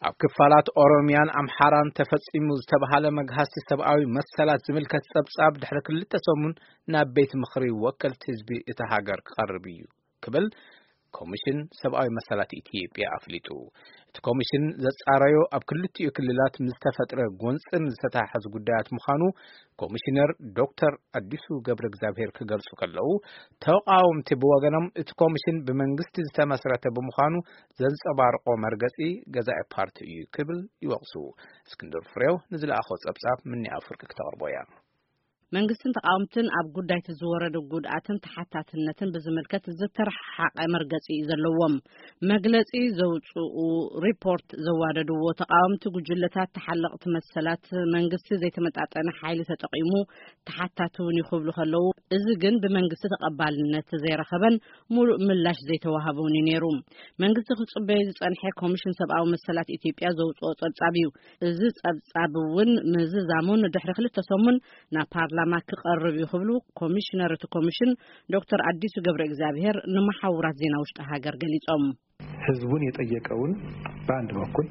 ኣብ ክፋላት ኦሮሚያን ኣምሓራን ተፈጺሙ ዝተባሃለ መግሃስቲ ሰብኣዊ መሰላት ዝምልከት ጸብጻብ ድሕሪ ክልተ ሰሙን ናብ ቤት ምኽሪ ወከልቲ ህዝቢ እታ ሃገር ክቐርብ እዩ ክብል ኮሚሽን ሰብኣዊ መሰላት ኢትዮጵያ ኣፍሊጡ። እቲ ኮሚሽን ዘጻረዮ ኣብ ክልቲኡ ክልላት ምስ ተፈጥረ ጎንጽን ዝተታሓዙ ጉዳያት ምዃኑ ኮሚሽነር ዶክተር ኣዲሱ ገብረ እግዚኣብሔር ክገልጹ ከለዉ፣ ተቃወምቲ ብወገኖም እቲ ኮሚሽን ብመንግስቲ ዝተመስረተ ብምዃኑ ዘንጸባርቆ መርገጺ ገዛኢ ፓርቲ እዩ ክብል ይወቕሱ። እስክንድር ፍሬው ንዝለኣኾ ጸብጻብ ምኒ ኣፍርቂ ክተቕርቦ እያ። መንግስትን ተቃወምትን ኣብ ጉዳይቲ ዝወረደ ጉድኣትን ተሓታትነትን ብዝምልከት ዝተረሓሓቀ መርገጺ እዩ ዘለዎም። መግለጺ ዘውጽኡ ሪፖርት ዘዋደድዎ ተቃወምቲ ጉጅለታት ተሓለቕቲ መሰላት መንግስቲ ዘይተመጣጠነ ሓይሊ ተጠቂሙ ተሓታቲ እውን ይኽብሉ ከለዉ፣ እዚ ግን ብመንግስቲ ተቐባልነት ዘይረኸበን ሙሉእ ምላሽ ዘይተዋሃበውን እዩ ነይሩ። መንግስቲ ክጽበዮ ዝጸንሐ ኮሚሽን ሰብኣዊ መሰላት ኢትዮጵያ ዘውጽኦ ጸብጻብ እዩ። እዚ ጸብጻብ እውን ምዝዛሙን ድሕሪ ክልተ ሰሙን ናብ ፓርላማ ክቐርብ እዩ ክብሉ ኮሚሽነር እቲ ኮሚሽን ዶክተር ኣዲሱ ገብረ እግዚኣብሔር ንመሓውራት ዜና ውሽጢ ሃገር ገሊጾም። ህዝቡን የጠየቀውን በአንድ በኩል፣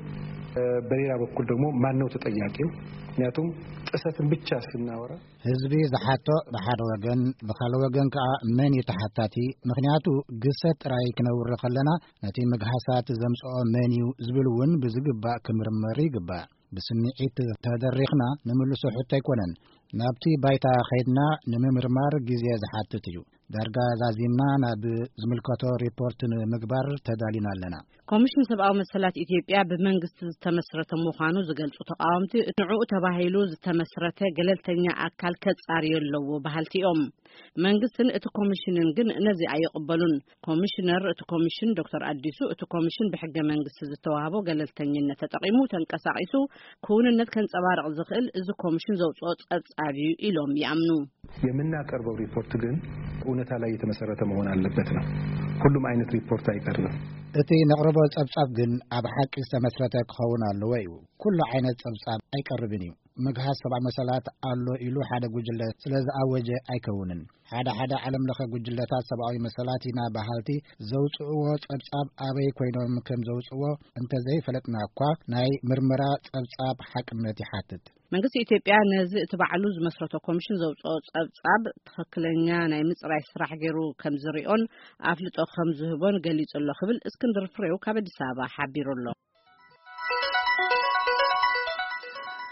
በሌላ በኩል ደግሞ ማን ነው ተጠያቂው? ምክንያቱም ጥሰትን ብቻ ስናወራ ህዝቢ ዝሓቶ ብሓደ ወገን፣ ብኻልእ ወገን ከኣ መን እዩ ተሓታቲ? ምክንያቱ ግሰት ጥራይ ክነውሪ ከለና ነቲ ምግሃሳት ዘምጽኦ መን እዩ ዝብል እውን ብዝግባእ ክምርመር ይግባእ። ብስምዒት ተደሪኽና ንምልሶ ሕቶ ኣይኮነን። ናብቲ ባይታ ኸይድና ንምምርማር ግዜ ዝሓትት እዩ። ዳርጋ ዛዚምና ናብ ዝምልከቶ ሪፖርት ንምግባር ተዳሊና ኣለና። ኮሚሽን ሰብኣዊ መሰላት ኢትዮጵያ ብመንግስቲ ዝተመስረተ ምዃኑ ዝገልጹ ተቃወምቲ፣ ንዕኡ ተባሂሉ ዝተመስረተ ገለልተኛ ኣካል ከጻርዮ ኣለዎ በሃልቲ እዮም። መንግስትን እቲ ኮሚሽንን ግን ነዚ ኣይቕበሉን። ኮሚሽነር እቲ ኮሚሽን ዶክተር ኣዲሱ፣ እቲ ኮሚሽን ብሕገ መንግስቲ ዝተዋህቦ ገለልተኝነት ተጠቂሙ ተንቀሳቒሱ ክውንነት ከንጸባርቕ ዝኽእል እዚ ኮሚሽን ዘውጽኦ ጸብጻብ እዩ ኢሎም ይኣምኑ። የምናቀርበው ሪፖርት ግን እውነታ ላይ የተመሰረተ መሆን አለበት ነው። ሁሉም አይነት ሪፖርት አይቀርብም። እቲ ነቕርቦ ጸብጻብ ግን ኣብ ሓቂ ዝተመስረተ ክኸውን ኣለዎ እዩ። ኩሉ ዓይነት ጸብጻብ ኣይቀርብን እዩ። ምግሃስ ሰብኣዊ መሰላት ኣሎ ኢሉ ሓደ ጉጅለ ስለ ዝኣወጀ ኣይከውንን። ሓደ ሓደ ዓለም ለኸ ጉጅለታት ሰብኣዊ መሰላት ኢና በሃልቲ ዘውጽእዎ ጸብጻብ ኣበይ ኮይኖም ከም ዘውጽእዎ እንተዘይፈለጥና እኳ ናይ ምርመራ ጸብጻብ ሓቅነት ይሓትት። መንግስቲ ኢትዮጵያ ነዚ እቲ ባዕሉ ዝመስረቶ ኮሚሽን ዘውጽኦ ጸብጻብ ትኽክለኛ ናይ ምጽራይ ስራሕ ገይሩ ከም ዝሪኦን ኣፍልጦ ከም ዝህቦን ገሊጹ ኣሎ ክብል እስክንድር ፍሬው ካብ ኣዲስ ኣበባ ሓቢሩ ኣሎ።